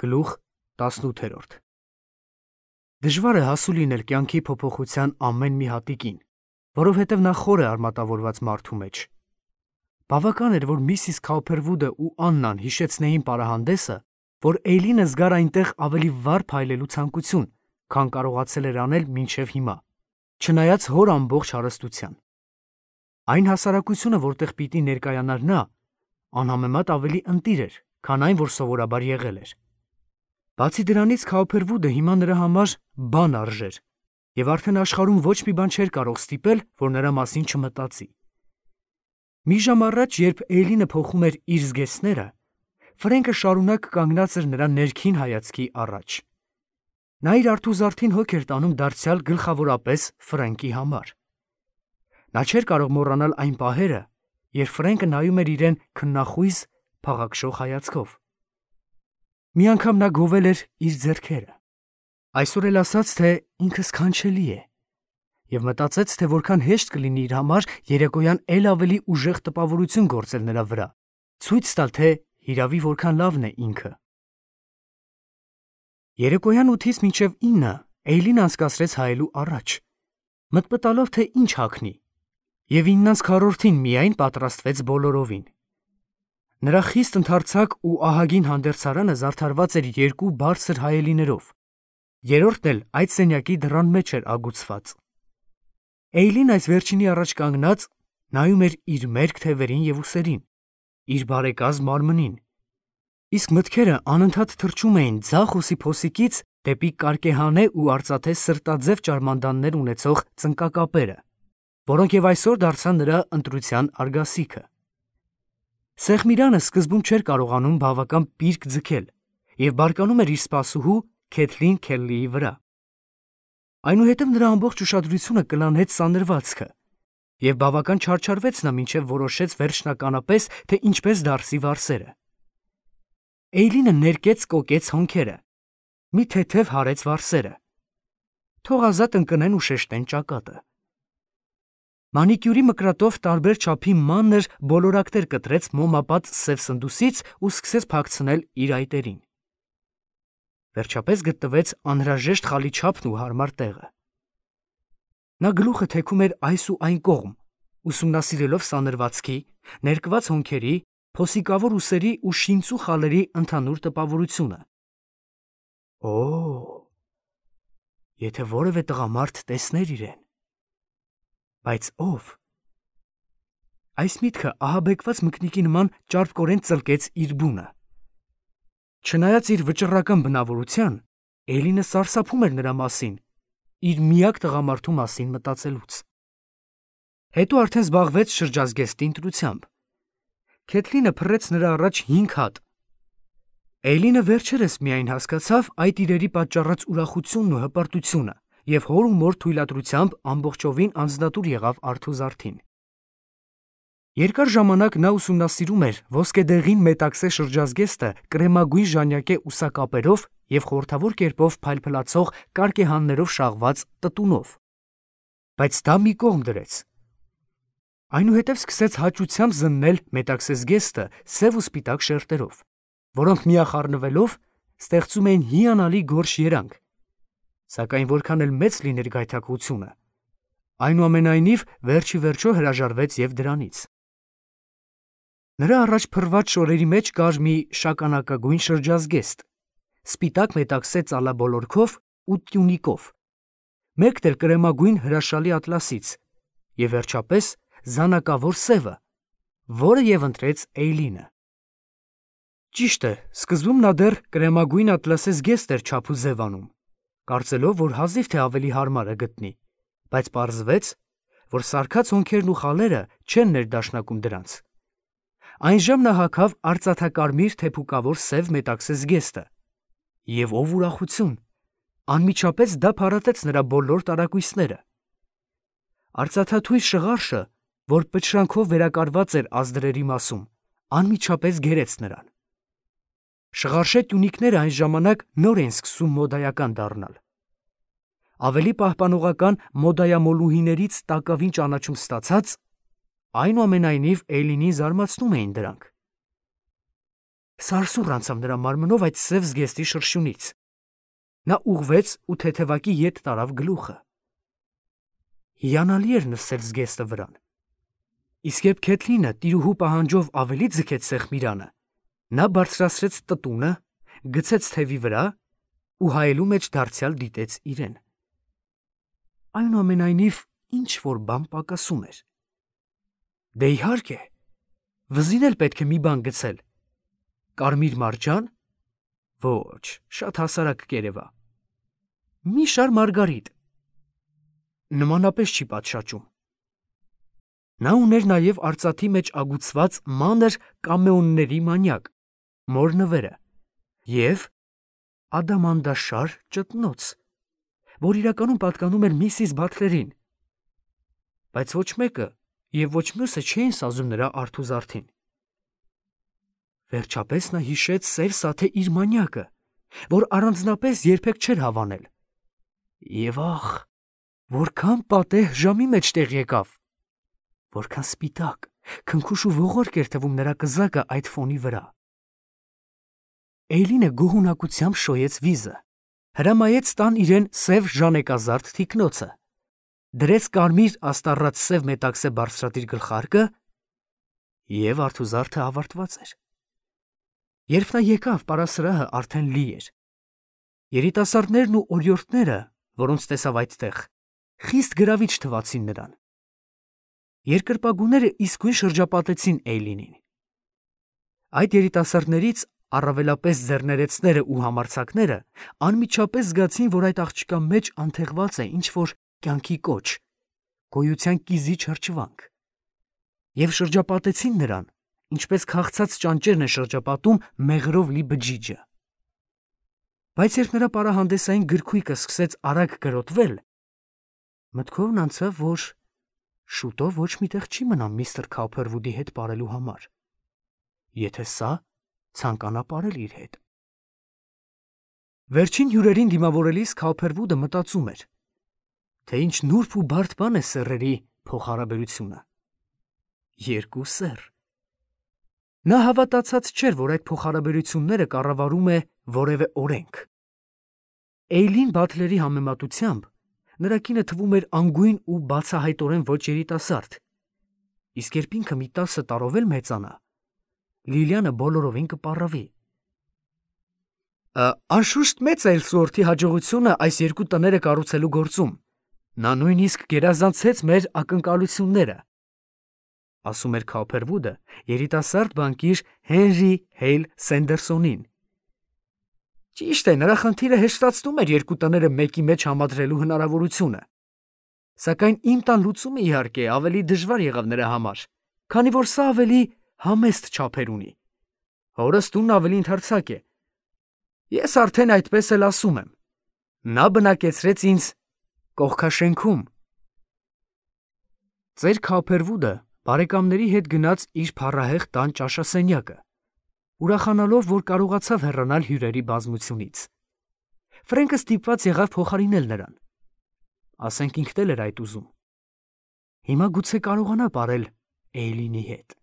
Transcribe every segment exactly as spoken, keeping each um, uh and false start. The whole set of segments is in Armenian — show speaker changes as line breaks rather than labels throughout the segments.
Գլուխ տասնութ։ Դժվար է հասու լինել կյանքի փոփոխության ամեն մի հատիկին, որովհետև նա խոր է արմատավորված մարդու մեջ։ Բավական էր, որ Միսիս Քաուփերվուդը ու Աննան հիշեցնեին պարահանդեսը, որ Էյլինը զգար այնտեղ ավելի վառ փայլելու ցանկություն, քան կարողացել էր անել մինչև հիմա, չնայած հոր ամբողջ հարստության։ Այն հասարակությունը, որտեղ պիտի ներկայանար նա, անհամեմատ ավելի ընտիր էր, քան այն, որ սովորաբար եղել էր։ Բացի դրանից Քաուփերվուդը հիմա նրա համար բան արժեր, եւ արդեն աշխարհում ոչ մի բան չէր կարող ստիպել, որ նրա մասին չմտածի։ Մի ժամ առաջ, երբ Էյլինը փոխում էր իր զգեստները, Ֆրենկը շարունակ կանգնած էր նրա ներքին հայացքի առաջ։ Նա իր արթուզարդին հոգ էր տանում դարձյալ գլխավորապես Ֆրենկի համար։ Նա չէր կարող մոռանալ այն պահերը, երբ Ֆրենկը նայում էր իրեն քննախույս, փաղաքշող հայացքով։ Մի անգամ նա գովել էր իր ձեռքերը։ Այսօր էլ ասաց, թե ինքը սքանչելի է, եւ մտածեց, թե որքան հեշտ կլինի իր համար երեկոյան էլ ավելի ուժեղ տպավորություն գործել նրա վրա, ցույց տալ, թե հիրավի որքան լավն է ինքը։ Երեկոյան ութից մինչև ինը Էյլին անցկացրեց հայելու առաջ, մտմտալով, թե ինչ հագնի, եւ իննանց քառորդին միայն պատրաստվեց բոլորովին։ Նրա խիստ ընդարձակ ու ահագին հանդերձարանը զարդարված էր երկու բարձր հայելիներով, երրորդն էլ այդ սենյակի դռան մեջ էր ագուցված։ Էյլին այս վերջինի առաջ կանգնած նայում էր իր մերկ թևերին եւ ուսերին, իր բարեկազմ մարմնին, իսկ մտքերը անընդհատ թռչում էին ձախ ուսի փոսիկից դեպի կարկեհանե ու արծաթե սրտաձև ճարմանդաններ ունեցող ծնկակապերը, որոնք եւ այսօր դարձան նրա ընտրության արգասիքը։ Սեղմիրանը սկզբում չէր կարողանում բավական պիրկ ձգել եւ բարկանում էր իր սպասուհու Քեթլին Քելլիի վրա։ Այնուհետև նրա ամբողջ ուշադրությունը կլանեց սանրվածքը, եւ բավական չարչարվեց նա, մինչև որոշեց վերջնականապես, թե ինչպես դարսի վարսերը։ Էյլինը ներկեց կոկեց հոնքերը, մի թեթև հարեց վարսերը, թող ազատ ընկնեն ու շեշտեն ճակատը։ Մանիկյուրի մկրատով տարբեր չափի մանր բոլորակներ կտրեց մոմապատ սև սնդուսից ու սկսեց փակցնել իր այտերին։ Վերջապես գտնվեց անհրաժեշտ խալի չափն ու հարմար տեղը։ Նա գլուխը թեքում էր այս ու այն կողմ, ուսումնասիրելով սանրվածքի, ներկված հոնքերի, փոսիկավոր ուսերի ու շինծու խալերի ընդհանուր տպավորությունը։ Օ՜, եթե որևէ տղամարդ տեսներ իրեն։ Բայց ով։ Այս միտքը ահաբեկված մկնիկի նման ճարպկորեն ծլկեց իր բունը։ Չնայած իր վճռական բնավորության, Էյլինը սարսափում էր նրա մասին, իր միակ տղամարդու մասին մտածելուց։ Հետո արդեն զբաղվեց շրջազգեստի ընտրությամբ։ Քեթլինը փռեց նրա առաջ հինգ հատ։ Էյլինը վերջերս միայն հասկացավ այդ իրերի պատճառած ուրախությունն ու հպարտությունը եւ հոր ու մոր թույլատրությամբ ամբողջովին անձնատուր եղավ արթուզարդին։ Երկար ժամանակ նա ուսումնասիրում էր ոսկեդեղին մետաքսե շրջազգեստը կրեմագույն ժանյակե ուսակապերով եւ խորհրդավոր կերպով փայլփլացող կարկեհաններով շաղված տտունով։ Բայց դա մի կողմ դրեց։ Այնուհետև սկսեց հաճությամբ զննել մետաքսե զգեստը սև ու սպիտակ շերտերով, որոնք միախառնվելով ստեղծում էին հիանալի գորշ երանգ, սակայն որքան էլ մեծ լիներ գայթակղությունը, այնուամենայնիվ վերջի վերջո հրաժարվեց եւ դրանից։ Նրա առաջ փռված շորերի մեջ կար մի շագանակագույն շրջազգեստ, սպիտակ մետաքսե ծալաբոլորքով ու տյունիկով, մեկն էլ կրեմագույն հրաշալի ատլասից եւ վերջապես զանակավոր սևը, որը եւ ընտրեց Էյլինը։ Ճիշտ է, սկզբում նա դեռ կրեմագույն ատլասե զգեստ էր չափ ու ձև անում, կարծելով, որ հազիվ թե ավելի հարմարը գտնի, բայց պարզվեց, որ սարքած հոնքերն ու խալերը չեն ներդաշնակում դրանց։ Այնժամ նա հագավ արծաթակարմիր թեփուկավոր սև մետաքսե զգեստը, եւ ով ուրախություն, անմիջապես դա փարատեց նրա բոլոր տարակույսները։ Արծաթաթույր շղարշը, որ պտշրանքով վերակարված էր ազդրերի մասում, անմիջապես գերեց նրան։ Շղարշե տյունիկները այն ժամանակ նոր են սկսում մոդայական դառնալ։ Ավելի պահպանողական մոդայամոլուհիներից տակավին ճանաչում ստացած, այնուամենայնիվ Էյլինին զարմացնում էին դրանք։ Սարսուռ անցավ նրա մարմնով այդ սև զգեստի շրշյունից։ Նա ուղղվեց ու թեթևակի ետ տարավ գլուխը։ Հիանալի էր նստել զգեստը վրան։ Իսկ երբ Քեթլինը տիրուհու պահանջով ավելի ձգեց սեղմիրանը, նա բարձրացրեց տտունը, գցեց թևի վրա ու հայելու մեջ դարձյալ դիտեց իրեն։ Այնուամենայնիվ ինչ որ բան պակասում էր։ Դե իհարկե, վզին էլ պետք է մի բան գցել։ Կարմիր մարջան։ Ոչ, շատ հասարակ կերևա։ Մի շար մարգարիտ։ Նմանապես չի պատշաճում։ Նա ուներ նաև արծաթի մեջ ագուցված մանր կամեոնների մանյակ, մոր նվերը և ադամանդաշար ճտնոց, որ իրականում պատկանում էր միսիս Բաթլերին, բայց ոչ մեկը և ոչ մյուսը չէին սազում նրա արթուզարդին։ Վերջապես նա հիշեց սև սաթե իր մանյակը, որ առանձնապես երբեք չէր հավանել։ Եվ ախ, որքան պատեհ ժամի մեջ տեղ եկավ, որքան սպիտակ, քնքուշ ու ողորկ էր թվում նրա կզակը այդ ֆոնի վրա։ Էյլինը գոհունակությամբ շոյեց վիզը, հրամայեց տան իրեն սև ժանեկազարդ թիկնոցը, դրեց կարմիր աստառած սև մետաքսե բարձրատիր գլխարկը և արթուզարդը ավարտված էր։ Երբ նա եկավ, պարասրահը արդեն լի էր։ Երիտասարդներն ու օրիորդները, որոնց տեսավ այդտեղ, խիստ գրավիչ թվացին նրան։ Երկրպագուները իսկույն շրջապատեցին Էյլինին։ Այդ երիտասարդներից առավելապես ձեռներեցները ու համարձակները անմիջապես զգացին, որ այդ աղջկա մեջ անթեղված է ինչ-որ կյանքի կոչ, գոյության կիզիչ հրճվանք, և շրջապատեցին նրան, ինչպես քաղցած ճանճերն է շրջապատում մեղրով լի բջիջը։ Բայց երբ նրա պարահանդեսային գրքույկը սկսեց արագ կրոտվել, մտքովն անցավ, որ շուտով ոչ մի տեղ չի մնա միստր Քոուփերվուդի հետ պարելու համար, եթե սա ցանկանա պարել իր հետ։ Վերջին հյուրերին դիմավորելիս Քոուփերվուդը մտածում էր, թե ինչ նուրբ ու բարդ բան է սեռերի փոխհարաբերությունը։ Երկու սեռ։ Նա հավատացած չէր, որ այդ փոխհարաբերությունները կառավարում է որևէ օրենք։ Էյլին Բաթլերի համեմատությամբ նրա կինը թվում էր անգույն ու բացահայտորեն ոչ երիտասարդ, իսկ երբ ինքը մի տասը տարով էլ մեծանա, Լիլիանը բոլորովին կպառավի։ Անշուշտ մեծ է Էլսուորթի հաջողությունը այս երկու տները կառուցելու գործում։ Նա նույնիսկ գերազանցեց մեր ակնկալությունները, ասում էր Քոուփերվուդը երիտասարդ բանկիր Հենրի Հեյլ Սենդերսոնին։ Ճիշտ է, նրա խնդիրը հեշտացնում էր երկու տները մեկի մեջ համադրելու հնարավորությունը։ Սակայն իմ տան լուծումը, իհարկե, ավելի դժվար եղավ նրա համար, քանի որ սա ավելի համեստ չափեր ունի։ Հորս տունն ավելի ընդարձակ է։ Ես արդեն այդպես էլ ասում եմ։ Նա բնակեցրեց ինձ կողքաշենքում։ Ծեր Քոուփերվուդը բարեկամների հետ գնաց իր փառահեղ տան ճաշասենյակը, ուրախանալով, որ կարողացավ հեռանալ հյուրերի բազմությունից։ Ֆրենկը ստիպված եղավ փոխարինել նրան։ Ասենք ինքն էլ էր այդ ուզում։ Հիմա գուցե կարողանա պարել Էյլինի հետ։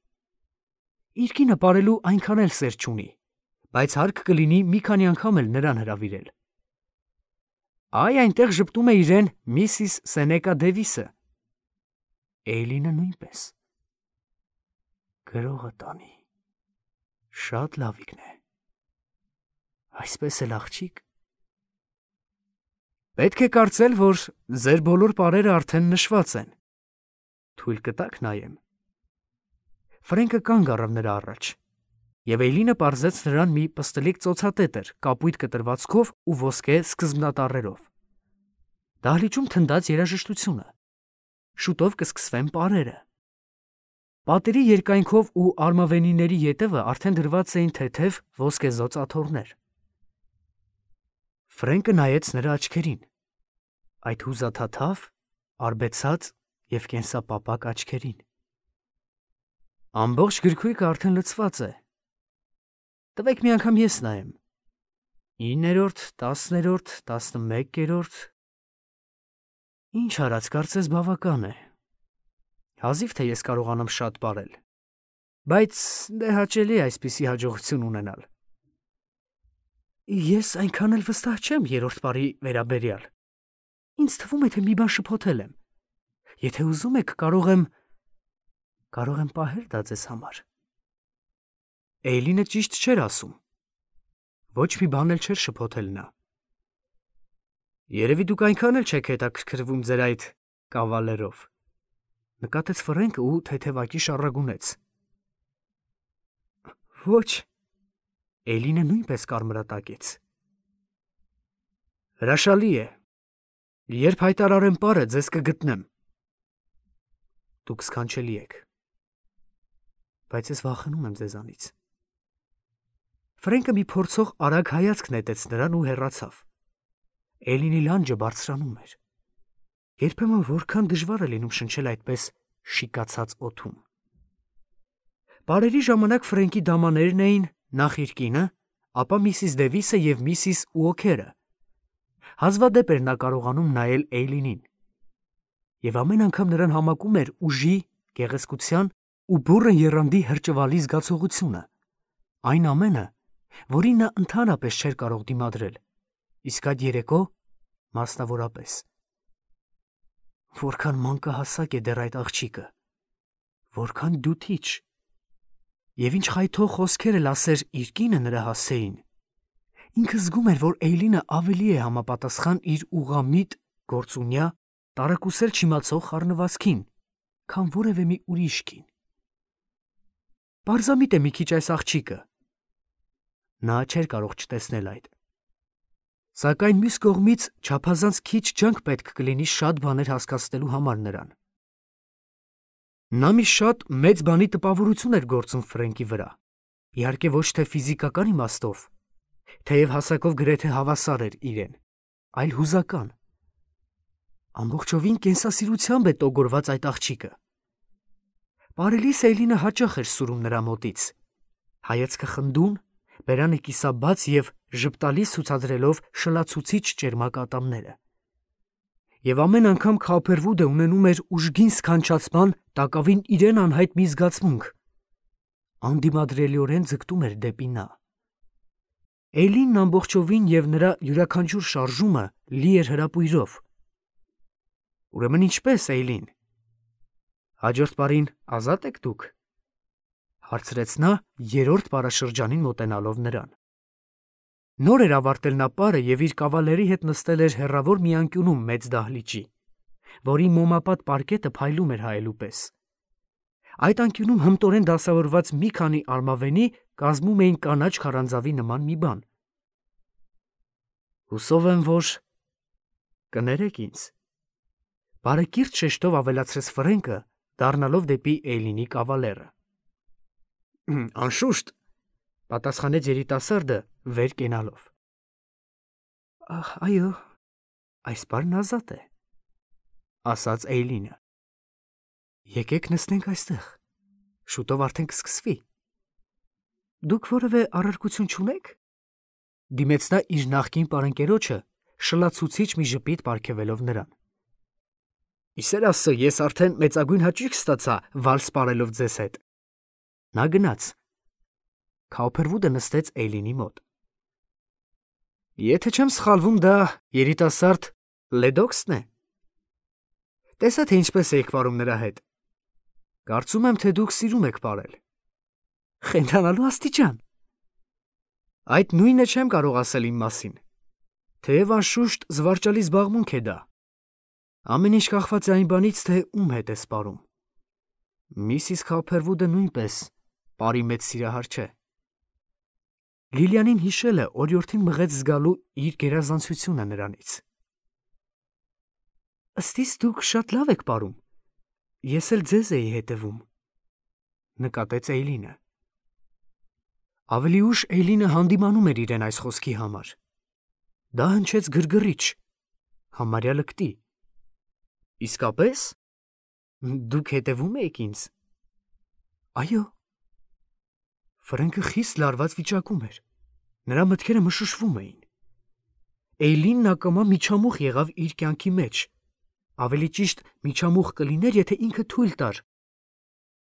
Իր կինը պարելու այնքան էլ սեր չունի, բայց հարկ կլինի մի քանի անգամ էլ նրան հրավիրել։ Այ այնտեղ ժպտում է իրեն միսիս Սենեկա Դևիսը։ Էյլինը նույնպես։ Գրողը տանի։ Շատ լավիկն է։ Այսպես էլ աղջիկ։ Պետք է կարծել, որ ձեր բոլոր պարերը արդեն նշված են։ Թույլ կտաք նայեմ։ Ֆրենկը կանգ առավ նրա առաջ, և Էյլինը պարզեց նրան մի պստլիկ ծոցատետր կապույտ կտրվածքով ու ոսկե սկզբնատառերով։ Դահլիճում թնդաց երաժշտությունը։ Շուտով կսկսվեն պարերը։ Պատերի երկայնքով ու արմավենիների ետևը արդեն դրված էին թեթև ոսկեզօծ աթոռներ։ Ֆրենկը նայեց նրա աչքերին, այդ հուզաթաթավ, արբեցած և կենսապապակ աչքերին։ Ամբողջ գրքույկը արդեն լցված է։ Տվեք մի անգամ ես նայեմ։ Իններորդ, տասներորդ, տասնմեկերորդ։ Ինչ արած, կարծես բավական է։ Հազիվ թե ես կարողանամ շատ պարել։ Բայց դե հաճելի է այսպիսի հաջողություն ունենալ։ Ես այնքան էլ վստահ չեմ երրորդ բարի վերաբերյալ։ Ինձ թվում է, թե մի բան շփոթել եմ։ Եթե ուզում եք, կարող եմ կարող եմ պահել դա ձեզ համար։ Էյլինը ճիշտ չէր ասում։ Ոչ մի բան էլ չէր շփոթել նա։ Երևի դուք այնքան էլ չեք հետաքրքրվում ձեր այդ կավալերով, նկատեց Ֆրենկը ու թեթևակի շառագունեց։ Ոչ, Էյլինը նույնպես կարմրատակեց։ Հրաշալի է։ Երբ հայտարարեմ պարը, ձեզ կգտնեմ։ Դուք սքանչելի եք։ Բայց ես վախենում եմ ձեզանից։ Ֆրենկը մի փորձող արագ հայացք նետեց նրան ու հեռացավ։ Էլինի լանջը բարձրանում էր։ Երբեմն որքան դժվար է լինում շնչել այդպես շիկացած օդում։ Բարերի ժամանակ Ֆրենկի դամաներն էին նախ իր կինը, ապա միսիս Դևիսը և միսիս Ուոքերը։ Հազվադեպ էր նա կարողանում նայել Էյլինին։ Եվ ամեն անգամ նրան համակում էր ուժի, գեղեցկության ու բուռն եռանդի հրճվալի զգացողությունը, այն ամենը, որին նա ընդհանրապես չէր կարող դիմադրել, իսկ այդ երեկո մասնավորապես։ Որքան մանկահասակ է դեռ այդ աղջիկը, որքան դյութիչ, և ինչ խայթող խոսքեր էլ ասեր իր կինը նրա հասցեին։ Ինքը զգում էր, որ Էյլինը ավելի է համապատասխան իր ուղղամիտ, գործունյա, տարակուսել չիմացող խառնվածքին, քան որևէ մի ուրիշ կին։ Պարզամիտ է մի քիչ այս աղջիկը։ Նա չէր կարող չտեսնել այդ։ Սակայն մյուս կողմից չափազանց քիչ ջանք պետք կլինի շատ բաներ հասկացնելու համար նրան։ Նա մի շատ մեծ բանի տպավորություն էր գործում Ֆրենկի վրա, իհարկե ոչ թե ֆիզիկական իմաստով, թեև հասակով գրեթե հավասար էր իրեն, այլ հուզական։ Ամբողջովին կենսասիրությամբ է տոգորված այդ աղջիկը։ Պարելիս Էյլինը հաճախ էր սուրում նրա մոտից, հայացքը խնդուն, բերանը կիսաբաց և ժպտալից ցուցադրելով շլացուցիչ ճերմակ ատամները։ Եվ ամեն անգամ Քափերվուդը ունենում էր ուժգին սքանչացման տակավին իրեն անհայտ մի զգացմունք, անդիմադրելիորեն ձգտում էր դեպի նա։ Էյլինն ամբողջովին և նրա յուրաքանչյուր շարժումը լի էր հրապույրով։ Ուրեմն ինչպես, Էյլին, հաջորդ պարին ազատ եք դուք, հարցրեց նա երրորդ պարաշրջանին մոտենալով նրան։ Նոր էր ավարտել նա պարը և իր կավալերի հետ նստել էր հեռավոր մի անկյունում մեծ դահլիճի, որի մոմապատ պարկետը փայլում էր հայելու պես։ Այդ անկյունում հմտորեն դասավորված մի քանի արմավենի կազմում էին կանաչ քարանձավի նման մի բան։ Հուսով եմ, որ կներեք ինձ, բարեկիրթ շեշտով ավելացրեց Ֆրենկը, դառնալով դեպի Էյլինի կավալերը։ Անշուշտ, պատասխանեց երիտասարդը վեր կենալով։ Ահ, այո, այս պարն ազատ է, ասաց Էյլինը։ Եկեք նստենք այստեղ, շուտով արդեն կսկսվի։ Դուք որևէ առարկություն չունեք։ Դիմեց նա իր նախկին պարընկերոջը, շլացուցիչ մի ժպիտ պարգևելով նրան։ Իսեր ասը, ես արդեն մեծագույն հաճույք ստացա վալս պարելով ձեզ հետ։ Նա գնաց։ Քափերվուդը նստեց Էյլինի մոտ։ Եթե չեմ սխալվում, դա երիտասարդ Լեդոքսն է։ Տեսա, թե ինչպես եք պարում նրա հետ։ Կարծում եմ, թե դուք սիրում եք պարել։ Խենթանալու աստիճան։ Այդ նույնը չեմ կարող ասել իմ մասին։ Թեև անշուշտ զվարճալի զբաղմունք է դա։ Ամեն ինչ կախված է այն բանից, թե ում հետ ես պարում։ Միսիս Քափերվուդը նույնպես պարի մեծ սիրահար չէ։ Լիլիանին հիշելը օրիորդին մղեց զգալու իր գերազանցությունը նրանից։ Ըստ իս դուք շատ լավ եք պարում։ Ես էլ ձեզ էի հետևում, նկատեց Էյլինը։ Ավելի ուշ Էյլինը հանդիմանում էր իրեն այս խոսքի համար։ Դա հնչեց գրգռիչ, համարյա լկտի։ Իսկապես, դուք հետևում եք ինձ։ Այո։ Ֆրենկը խիստ լարված վիճակում էր։ Նրա մտքերը մշուշվում էին։ Էյլինն ակամա միջամուխ եղավ իր կյանքի մեջ։ Ավելի ճիշտ միջամուխ կլիներ, եթե ինքը թույլ տար,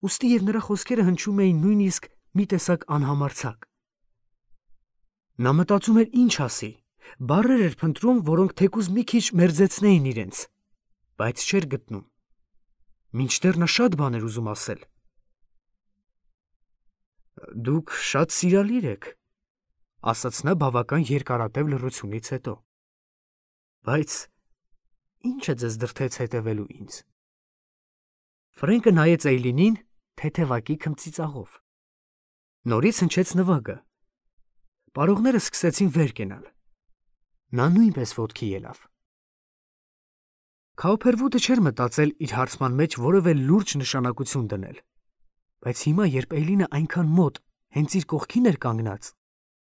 ուստի և նրա խոսքերը հնչում էին նույնիսկ մի տեսակ անհամարձակ։ Նա մտածում էր ինչ ասի, բառեր էր փնտրում, որոնք թեկուզ մի քիչ մերձեցնեին իրենց, բայց չէր գտնում։ Մինչդեռ նա շատ բան էր ուզում ասել։ «Դուք շատ սիրալիր եք», ասաց նա բավական երկարատև լռությունից հետո։ «Բայց ի՞նչ է ձեզ դրդեց հետևելու ինձ»։ Ֆրենկը նայեց Էյլինին թեթևակի քմծիծաղով։ Նորից հնչեց նվագը։ Պարողները սկսեցին վեր կենալ։ Նա նույնպես ոտքի ելավ։ Քաուփերվուդը չէր մտածել իր հարցման մեջ որևէ լուրջ նշանակություն դնել, բայց հիմա, երբ Էյլինը այնքան մոտ, հենց իր կողքին էր կանգնած,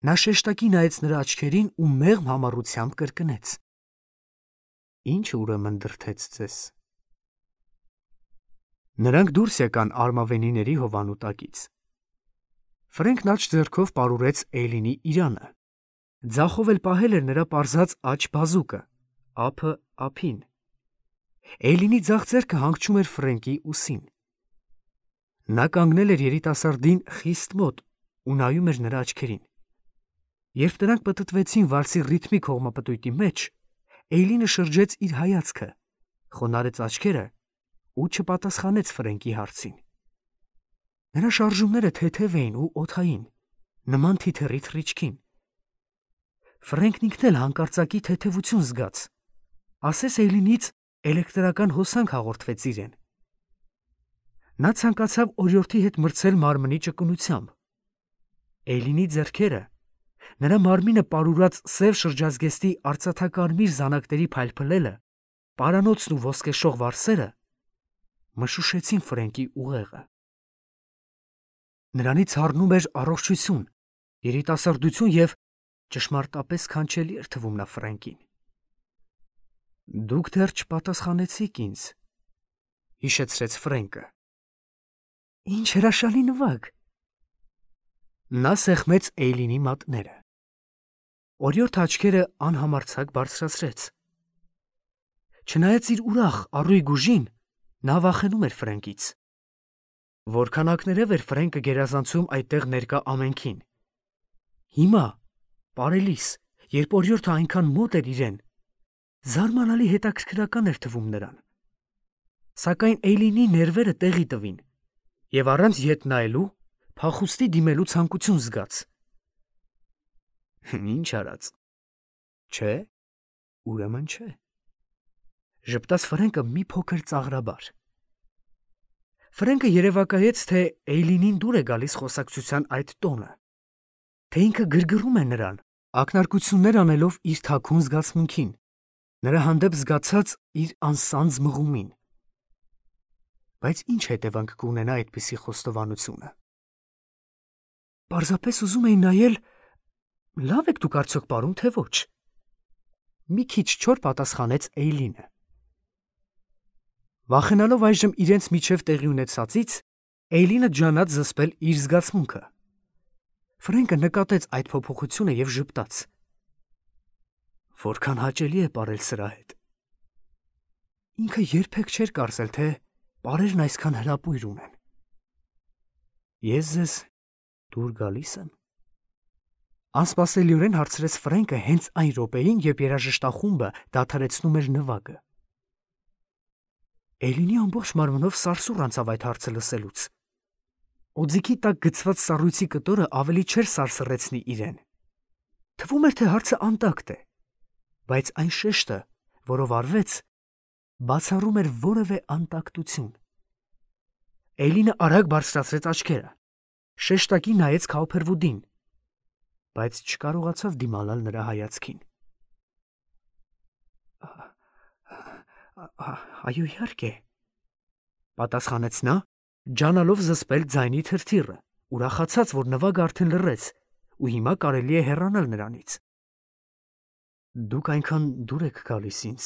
նա շեշտակի նայեց նրա աչքերին ու մեղմ համառությամբ կրկնեց. «Ի՞նչը ուրեմն դրդեց ձեզ»։ Նրանք դուրս եկան արմավենիների հովանու տակից։ Ֆրենքն աջ ձեռքով պարուրեց Էյլինի իրանը։ Ձախով էլ պահել էր նրա պարզած աջ բազուկը, ափը ափին։ Էյլինի ձախ ձեռքը հանգչում էր Ֆրենկի ուսին։ Նա կանգնել էր երիտասարդին խիստ մոտ ու նայում էր նրա աչքերին։ Երբ նրանք պտտվեցին վալսի ռիթմիկ հողմապտույտի մեջ, Էյլինը շրջեց իր հայացքը, խոնարհեց աչքերը ու չպատասխանեց Ֆրենկի հարցին։ Նրա շարժումները թեթև էին ու օդային, նման թիթեռի թռիչքին։ Ֆրենկն ինքն էլ հանկարծակի թեթևություն զգաց, ասես Էյլինից էլեկտրական հոսանք հաղորդվեց իրեն։ Նա ցանկացավ օրիորդի հետ մրցել մարմնի ճկունությամբ։ Էյլինի ձեռքերը, նրա մարմինը պարուրած սև շրջազգեստի արծաթակարմիր զանակների փայլփլելը, պարանոցն ու ոսկեշող վարսերը մշուշեցին Ֆրենկի ուղեղը։ Նրանից հառնում էր առողջություն, երիտասարդություն և ճշմարտապես քանչելի էր թվում նա Ֆրենկին։ «Դուք դեռ չպատասխանեցիք ինձ», հիշեցրեց Ֆրենկը։ «Ինչ հրաշալի նվագ»։ Նա սեղմեց Էյլինի մատները։ Օրիորդը աչքերը անհամարձակ բարձրացրեց։ Չնայած իր ուրախ առույգ ուժին, նա վախենում էր Ֆրենկից։ Որքան ակներև էր Ֆրենկը գերազանցում այդտեղ ներկա ամենքին։ Հիմա, պարելիս, երբ օրիորդը այնքան մոտ էր իրեն, զարմանալի հետաքրքրական էր թվում նրան։ Սակայն Էյլինի ներվերը տեղի տվին, և առանց ետ նայելու փախուստի դիմելու ցանկություն զգաց։ «Ինչ արած, չէ, ուրեմն չէ», ժպտաց Ֆրենկը մի փոքր ծաղրաբար։ Ֆրենկը երևակայեց, թե Էյլինին դուր է գալիս խոսակցության այդ տոնը, թե ինքը գրգռում է նրան, ակնարկություններ անելով իր թաքուն զգացմունքին, նրա հանդեպ զգացած իր անսանձ մղումին։ Բայց ինչ հետևանք կունենա այդպիսի խոստովանությունը։ Պարզապես ուզում էի նայել, լավ եք դուք արդյոք պարում, թե ոչ։ Մի քիչ չոր պատասխանեց Էյլինը։ Վախենալով այժմ իրենց միջև տեղի ունեցածից, Էյլինը ջանաց զսպել իր զգացմունքը։ Ֆրենկը նկատեց այդ փոփոխությունը և ժպտաց։ Որքան հաճելի է պարել սրա հետ։ Ինքը երբեք չէր կարծել, թե պարերն այսքան հրապույր ունեն։ Ես ձեզ դուր գալիս եմ։ Անսպասելիորեն հարցրեց Ֆրենկը հենց այն րոպեին, երբ երաժշտախումբը դադարեցնում էր նվագը։ Էյլինի ամբողջ մարմնով սարսուռ անցավ այդ հարցը լսելուց։ Օձիքի տակ գցված սառույցի կտորը ավելի չէր սարսռեցնի իրեն։ Թվում էր, թե հարցը անտակտ է, բայց այն շեշտը, որով արվեց, բացառում էր որևէ անտակտություն։ Էյլինը արագ բարձրացրեց աչքերը, շեշտակի նայեց Քաուփերվուդին, բայց չկարողացավ դիմանալ նրա հայացքին։ Այո, իհարկե, պատասխանեց նա, ջանալով զսպել ձայնի թրթիռը, ուրախացած, որ նվագը արդեն լռեց, ու հիմա կարելի է հեռանալ նրանից։ Դուք այնքան դուր եք գալիս ինձ,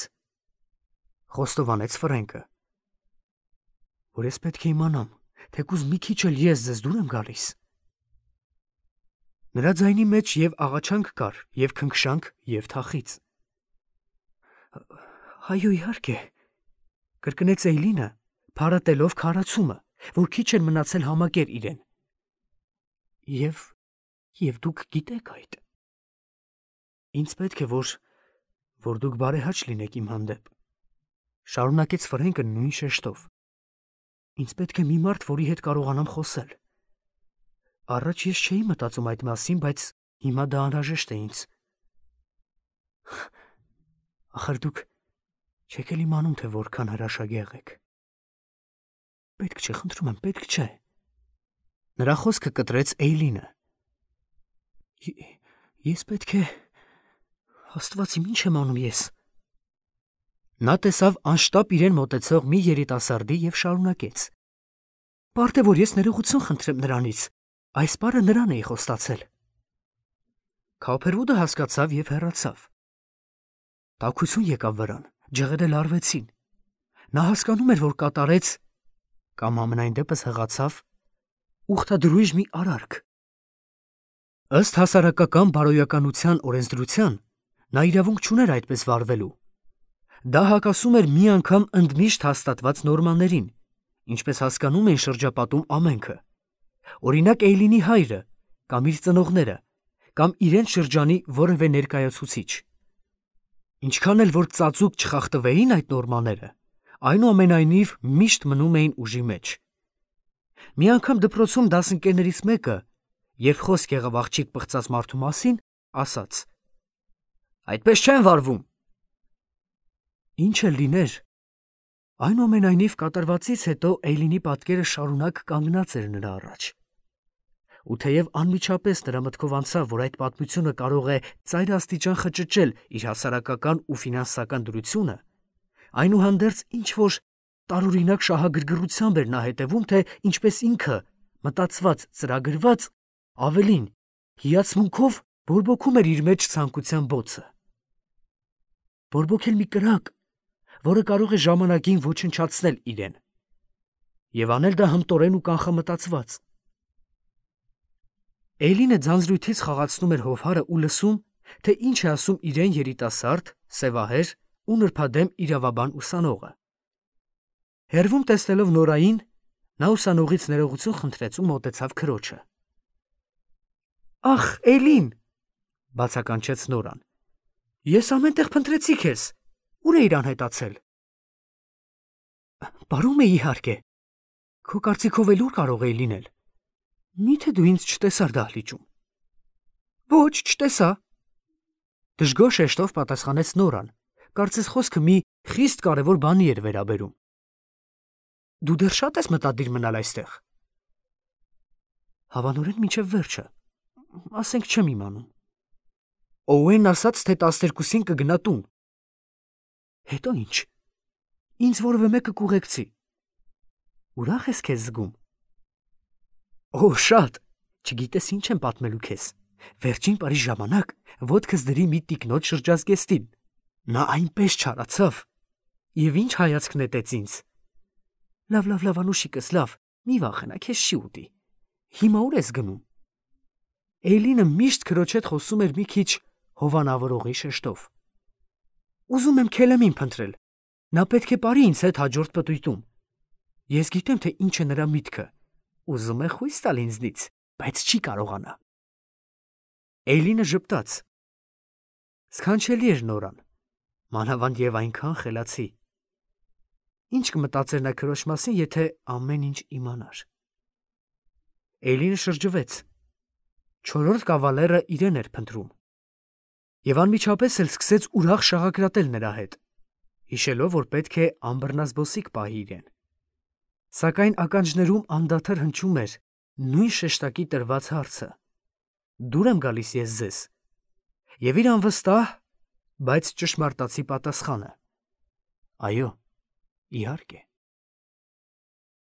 խոստովանեց Ֆրենկը, որ ես պետք է իմանամ, թեկուզ մի քիչ էլ ես ձեզ դուր եմ գալիս։ Նրա ձայնի մեջ և աղաչանք կար, և քնքշանք, և թախիծ։ Այո, իհարկե, կրկնեց Էյլինը, փարատելով քարացումը, որ քիչ էր մնացել համակեր իրեն։ Եվ եւ դուք գիտեք այդ։ Ինձ պետք է որ որ դուք բարեհաճ լինեք իմ հանդեպ։ Շարունակեց Ֆրենկը նույն շեշտով։ Ինձ պետք է մի մարդ, որի հետ կարողանամ խոսել։ Առաջ ես չէի մտածում այդ մասին, բայց հիմա դա անհրաժեշտ է ինձ։ Ախր դուք չեք էլ իմանում, թե որքան հրաշագեղ եք։ Պետք չէ, խնդրում եմ, պետք չէ։ Նրա խոսքը կտրեց Էյլինը։ Ես պետք է… Աստված իմ, ինչ եմ անում ես։ Նա տեսավ անշտապ իրեն մոտեցող մի երիտասարդի և շարունակեց. Բարդ է, որ ես ներողություն խնդրեմ նրանից, այս բառը նրան էի խոստացել։ Քոփերվուդը հասկացավ և հեռացավ։ Տաքություն եկավ վրան, ջղերը լարվեցին։ Նա հասկանում էր, որ կատարեց կամ ամենայն դեպս հղացավ ուխտադրույժ մի արարք։ Ըստ հասարակական բարոյականության օրենսդրության նա իրավունք չուներ այդպես վարվելու։ Դա հակասում էր մի անգամ ընդմիշտ հաստատված նորմաներին, ինչպես հասկանում էին շրջապատում ամենքը։ Օրինակ Էյլինի հայրը, կամ իր ծնողները, կամ իրենց շրջանի որևէ ներկայացուցիչ։ Ինչքան էլ որ ծածուկ չխախտվեին այդ նորմաները, այնուամենայնիվ միշտ մնում էին ուժի մեջ։ Մի անգամ դպրոցում դասընկերներից մեկը, երբ խոսք եղավ աղջիկ պղծած մարդու մասին, ասաց. Այդպես չեն վարվում։ Ինչ էլ լիներ, այնուամենայնիվ կատարվածից հետո Էյլինի պատկերը շարունակ կանգնած էր նրա առաջ։ Ու թեև անմիջապես նրա մտքով անցավ, որ այդ պատմությունը կարող է ծայրաստիճան խճճել իր հասարակական ու ֆինանսական դրությունը, այնուհանդերձ ինչ-որ տարօրինակ շահագրգռությամբ էր նա հետևում, թե ինչպես ինքը, մտածված, ծրագրված, ավելին, հիացմունքով բորբոքում էր իր մեջ ցանկության բոցը։ Բորբոքել մի կրակ, որը կարող է ժամանակին ոչնչացնել իրեն, և անել դա հմտորեն ու կանխամտածված։ Էյլինը ձանձրույթից խաղացնում էր հովհարը ու լսում, թե ինչ է ասում իրեն երիտասարդ, սևահեր ու նրբադեմ իրավաբան ուսանողը։ Հեռվում տեսնելով Նորային, նա ուսանողից ներողություն խնդրեց ու մոտեցավ քրոջը։ Ախ, Էյլին, բացականչեց Նորան, ես ամեն տեղ փնտրեցի քեզ, ուր էիր անհետացել։ Բարում է իհարկե, քո կարծիքով էլ ուր կարող էի լինել։ Միթե դու ինձ չտեսար դահլիճում։ Ոչ, չտեսա։ Դժգոհ շեշտով պատասխանեց Նորան, կարծես խոսքը մի խիստ կարևոր բանի էր վերաբերում։ Դու դեռ շատ ես մտադիր մնալ այստեղ։ Հավանորեն մինչև վերջը, ասենք չեմ իմանում։ Օուենն ասաց, թե տասներկուսին կգնա տուն։ Հետո ինչ։ Ինձ որևէ մեկը կուղեկցի։ Ուրախ ես քեզ զգում։ Օ, շատ, չգիտես ինչ եմ պատմելու քեզ։ Վերջին պարի ժամանակ ոտքս դրի մի տիկնոջ շրջազգեստին։ Նա այնպես չարացավ։ Եվ ինչ հայացք նետեց ինձ։ Լավ, լավ, լավ, անուշիկս, լավ, մի վախենա, քեզ չի ուտի։ Հիմա ուր ես գնում։ Էյլինը միշտ քրոջ հետ խոսում էր մի քիչ հովանավորողի շեշտով։ Ուզում եմ Քելեմին փնտրել։ Նա պետք է բարի ինձ հետ հաջորդ պտույտում։ Ես գիտեմ, թե ինչ է նրա միտքը։ Ուզում է խույս տալ ինձնից, բայց չի կարողանա։ Էյլինը ժպտաց։ Սքանչելի էր Նորան, մանավանդ եւ այնքան խելացի։ Ինչ կմտածեր նա քրոջ մասին, եթե ամեն ինչ իմանար։ Էյլինը շրջվեց։ Չորրորդ կավալերը իրեն էր փնտրում։ Եվ անմիջապես էլ սկսեց ուրախ շաղակրատել նրա հետ, հիշելով, որ պետք է անբռնազբոսիկ պահի իրեն։ Սակայն ականջներում անդադար հնչում էր նույն շեշտակի տրված հարցը. Դուր եմ գալիս ես ձեզ։ Եվ իր անվստահ, բայց ճշմարտացի պատասխանը. Այո, իհարկե։